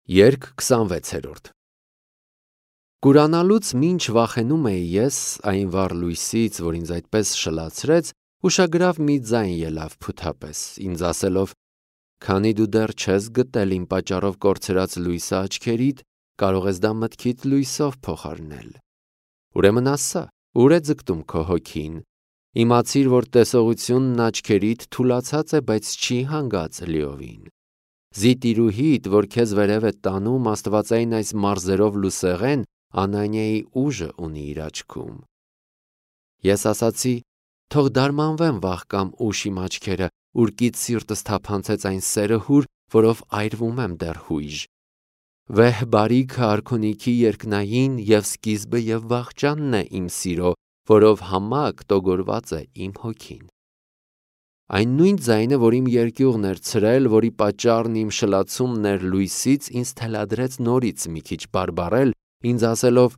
Երգ 26-րդ Կուրանալուց մինչ վախենում էի ես այն վառ լույսից, որ ինձ այդպես շլացրեց, ուշագրավ մի ձայն ելավ փութապես, ինձ ասելով. «Քանի դու դեռ չես գտել իմ պատճառով կորցրած լույսը աչքերիդ, կարող ես դա մտքիդ լույսով փոխարինել։ Ուրեմն ասա, ուր է ձգտում քո հոգին։ Իմացիր, որ տեսողությունն աչքերիդ թուլացած է, բայց չի հանգած լիովին։ Զի տիրուհիդ, որ քեզ վերև է տանում աստվածային այս մարզերով լուսեղեն, Անանիայի ուժը ունի իր աչքում։ Ես ասացի. թող դարմանվեն վաղ կամ ուշ իմ աչքերը, ուրկից սիրտս թափանցեց այն սերը հուր, որով այրվում եմ դեռ հույժ։ Վեհ բարիքը արքունիքի երկնային և սկիզբը և վախճանն է իմ սիրո, որով համակ տոգորված է իմ հոգին։ Այն նույն ձայնը, որ իմ երկյուղն էր ցրել, որի պատճառն իմ շլացումն էր լույսից, ինձ թելադրեց նորից մի քիչ բարբառել, ինձ ասելով.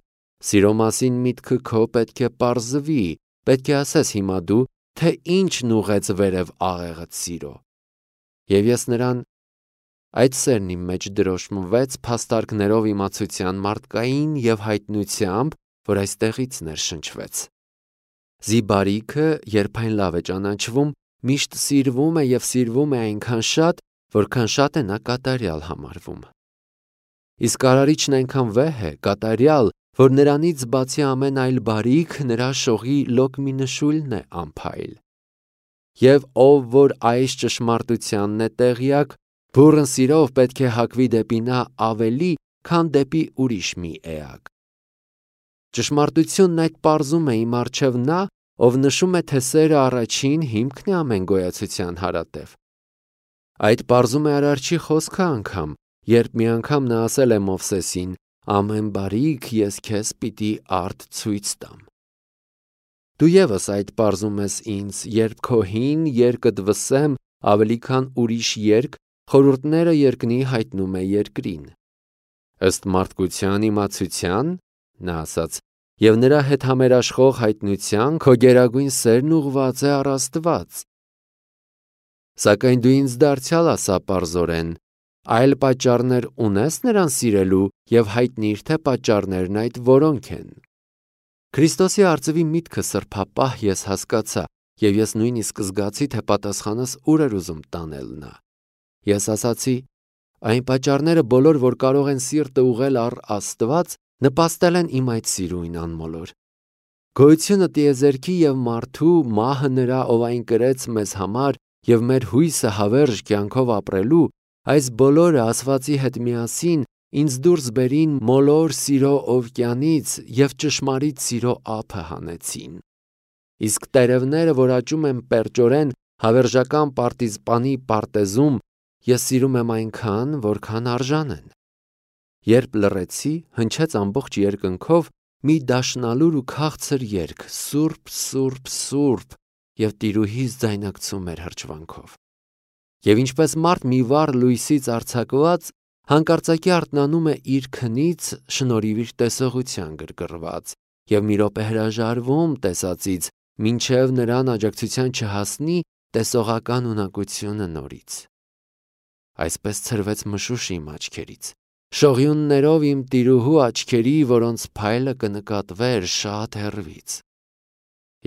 «Սիրո մասին միտքը քո պետք է պարզվի, պետք է ասես հիմա դու, թե ինչն ուղղեց վերև աղեղդ սիրո»։ Եվ ես նրան. այդ սերն իմ մեջ դրոշմվեց փաստարկներով իմացության մարդկային և հայտնությամբ, որ այստեղից ներշնչվեց։ Զի բարիքը, երբ այն լավ է ճանաչվում, միշտ սիրվում է և սիրվում է այնքան շատ, որքան շատ է նա կատարյալ համարվում։ Իսկ արարիչն այնքան վեհ է, կատարյալ, որ նրանից բացի ամեն այլ բարիք, նրա շողի լոկ մի նշույլն է անփայլ։ Եվ ով որ այս ճշմարտությանն է տեղյակ, բուռն սիրով պետք է հակվի դեպի նա ավելի, քան դեպի ուրիշ մի էակ։ Ճշմարտությունն այդ պարզում է իմ առջև նա, ով նշում է, թե սերը առաջին հիմքն է ամեն գոյացության հարատև։ Այդ պարզում է Արարչի խոսքը անգամ, երբ մի անգամ նա ասել է Մովսեսին. «Ամեն բարիք ես քեզ պիտի արդ ցույց տամ»։ Դու ևս այդ պարզում ես ինձ, երբ քո հին երկդ վսեմ, ավելի քան ուրիշ երկ, խորհուրդները երկնի հայտնում է երկրին։ Ըստ մարդկության իմացության, նա ասաց, և նրա հետ համերաշխող հայտնության, քո գերագույն սերն ուղղված է առ Աստված։ Սակայն դու ինձ դարձյալ ասա պարզորեն. այլ պատճառներ ունես նրան սիրելու և հայտնիր, թե պատճառներն այդ որոնք են։ Քրիստոսի արծվի միտքը սրբապահ ես հասկացա, և ես նույնիսկ զգացի, թե պատասխանս ուր էր ուզում տանել նա։ Ես ասացի. այն պատճառները բոլոր, որ կարող են սիրտը ուղղել առ Աստված, նպաստել են իմ այդ սիրույն անմոլոր։ Գոյությունը տիեզերքի և մարդու, մահը նրա, ով այն կրեց մեզ համար, և մեր հույսը հավերժ կյանքով ապրելու, այս բոլորը ասվածի հետ միասին ինձ դուրս բերին մոլոր սիրո օվկիանից և ճշմարիտ սիրո ափը հանեցին։ Իսկ տերևները, որ աճում են պերճորեն հավերժական պարտիզպանի պարտեզում, ես սիրում եմ այնքան, որքան արժան են։ Երբ լռեցի, հնչեց ամբողջ երկնքով մի դաշնալուր ու քաղցր երգ. «Սուրբ, Սուրբ, Սուրբ», և տիրուհիս ձայնարկծում էր հրճվանքով։ Եվ ինչպես մարդ մի վառ լույսից արձակված, հանկարծակի արթնանում է իր քնից, շնորհիվ իր տեսողության գրգռված, և մի րոպե հրաժարվում տեսածից, մինչև նրան աջակցության չհասնի տեսողական ունակությունը նորից։ Այսպես ցրվեց մշուշ իմ աչքերից, շողյուններով իմ տիրուհու աչքերի, որոնց փայլը կնկատվեր շատ հեռվից։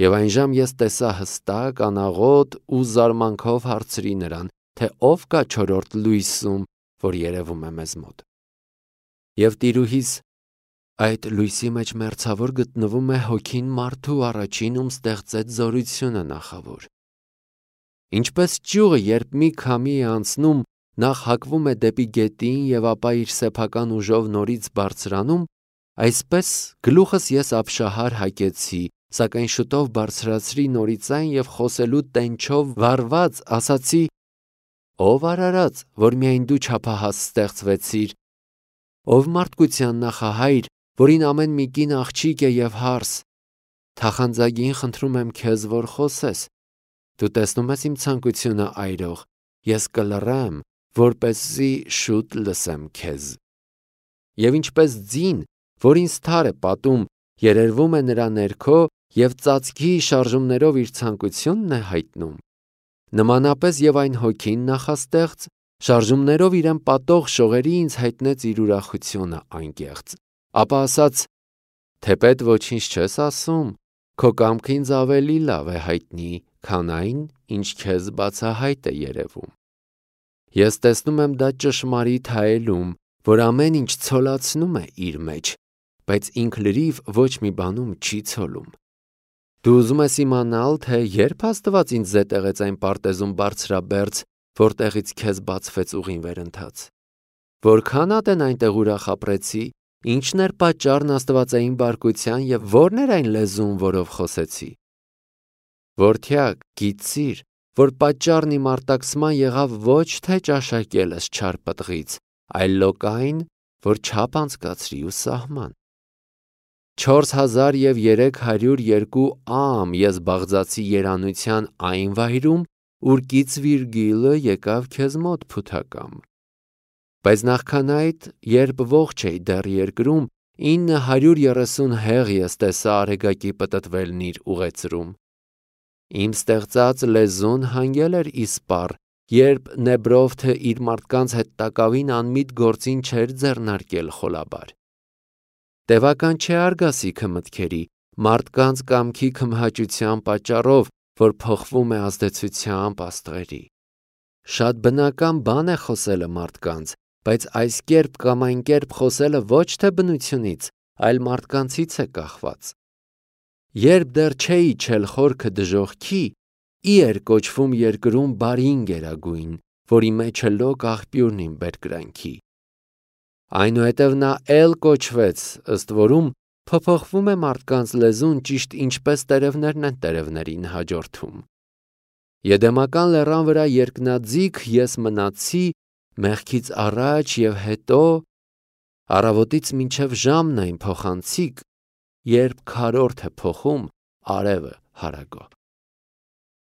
Եվ այնժամ ես տեսա հստակ, անաղոտ ու զարմանքով հարցրի նրան, թե ով կա չորրորդ լույսում, որ երևում է մեզ մոտ։ Եվ տիրուհիս. այդ լույսի մեջ մերձավոր գտնվում է հոգին մարդու առաջին, ում ստեղծեց զորությունը նախավոր։ Ինչպես ճյուղը, երբ մի քամի է անցնում, նախ հակվում է դեպի գետին և ապա իր սեփական ուժով նորից բարձրանում, այսպես գլուխս ես ապշահար հակեցի, սակայն շուտով բարձրացրի նորից այն և խոսելու տենչով վառված ասացի. «Ով արարած, որ միայն դու չափահաս ստեղծվեցիր, ով մարդկության նախահայր, որին ամեն մի կին աղջիկ է և հարս, թախանձագին խնդրում եմ քեզ, որ խոսես։ Դու տեսնում ես իմ ցանկությունը այրող, ես կլռեմ, որպեսզի շուտ լսեմ քեզ»։ Եվ ինչպես ձին, որ ինձ թար է պատում, երերվում է նրա ներքո և ծածկի շարժումներով իր ցանկությունն է հայտնում, նմանապես և այն հոգին նախաստեղծ, Շարժումներով իրեն պատող շողերի ինձ հայտնեց իր ուրախությունը անկեղծ, ապա ասաց. թեպետ ոչինչ չես ասում, քո կամքը ինձ ավելի լավ է հայտնի, քան այն, ինչ քեզ բացահայտ է երևում։ Ես տեսնում եմ դա ճշմարիտ հայելում, որ ամեն ինչ ցոլացնում է իր մեջ, բայց ինքը լրիվ ոչ մի բանում չի ցոլում։ Դու ուզում ես իմանալ, թե երբ Աստված ինձ զետեղեց այն պարտեզում բարձրաբերձ, որտեղից քեզ բացվեց ուղին վերընթաց։ Որքան ատեն այնտեղ ուրախ ապրեցի, ինչն էր պատճառն աստվածային բարկության և ո՞րն էր այն լեզուն, որով խոսեցի։ Որդյակ, գիտիր, որ պատճառն իմ արտաքսման եղավ ոչ թե ճաշակելս չար պտղից, այլ լոկային, որ չափ անցկացրի ու սահման։ 4302 ամ ես բաղձացի երանության այն վայրում, ուր Կիցվիրգիլը եկավ քեզ մոտ փութակամ։ Բայց նախքան այդ, երբ ողջ էի դեռ երկրում, 930 հեղ ես տեսա արեգակի պտտվելն իր ուղեծրում։ Իմ ստեղծած լեզուն հանգել էր իսպառ, երբ Նեբրովթը իր մարդկանց հետ տակավին անմիտ գործին չէր ձեռնարկել խոլաբար։ Տևական չէ արգասիքը մտքերի, մարդկանց կամքի քմհաճության պատճառով, որ փոխվում է ազդեցությամբ աստղերի։ Շատ բնական բան է խոսելը մարդկանց, բայց այս կերպ կամ այն կերպ խոսելը ոչ թե բնությունից, այլ մարդկանցից է կախված։ Երբ դեռ չէի իջել խորքը դժոխքի, ի էր կոչվում երկրում բարին գերագույն, որի մեջ է լոկ աղբյուրն իմ բերկրանքի։ Այնուհետև նա էլ կոչվեց, ըստ որում փոփոխվում է մարդկանց լեզուն ճիշտ ինչպես տերևներն են տերևներին հաջորդում։ Եդեմական լեռան վրա երկնաձիգ ես մնացի մեղքից առաջ և հետո, առավոտից մինչև ժամն այն փոխանցիկ, երբ քառորդ է փոխում արևը հարագով։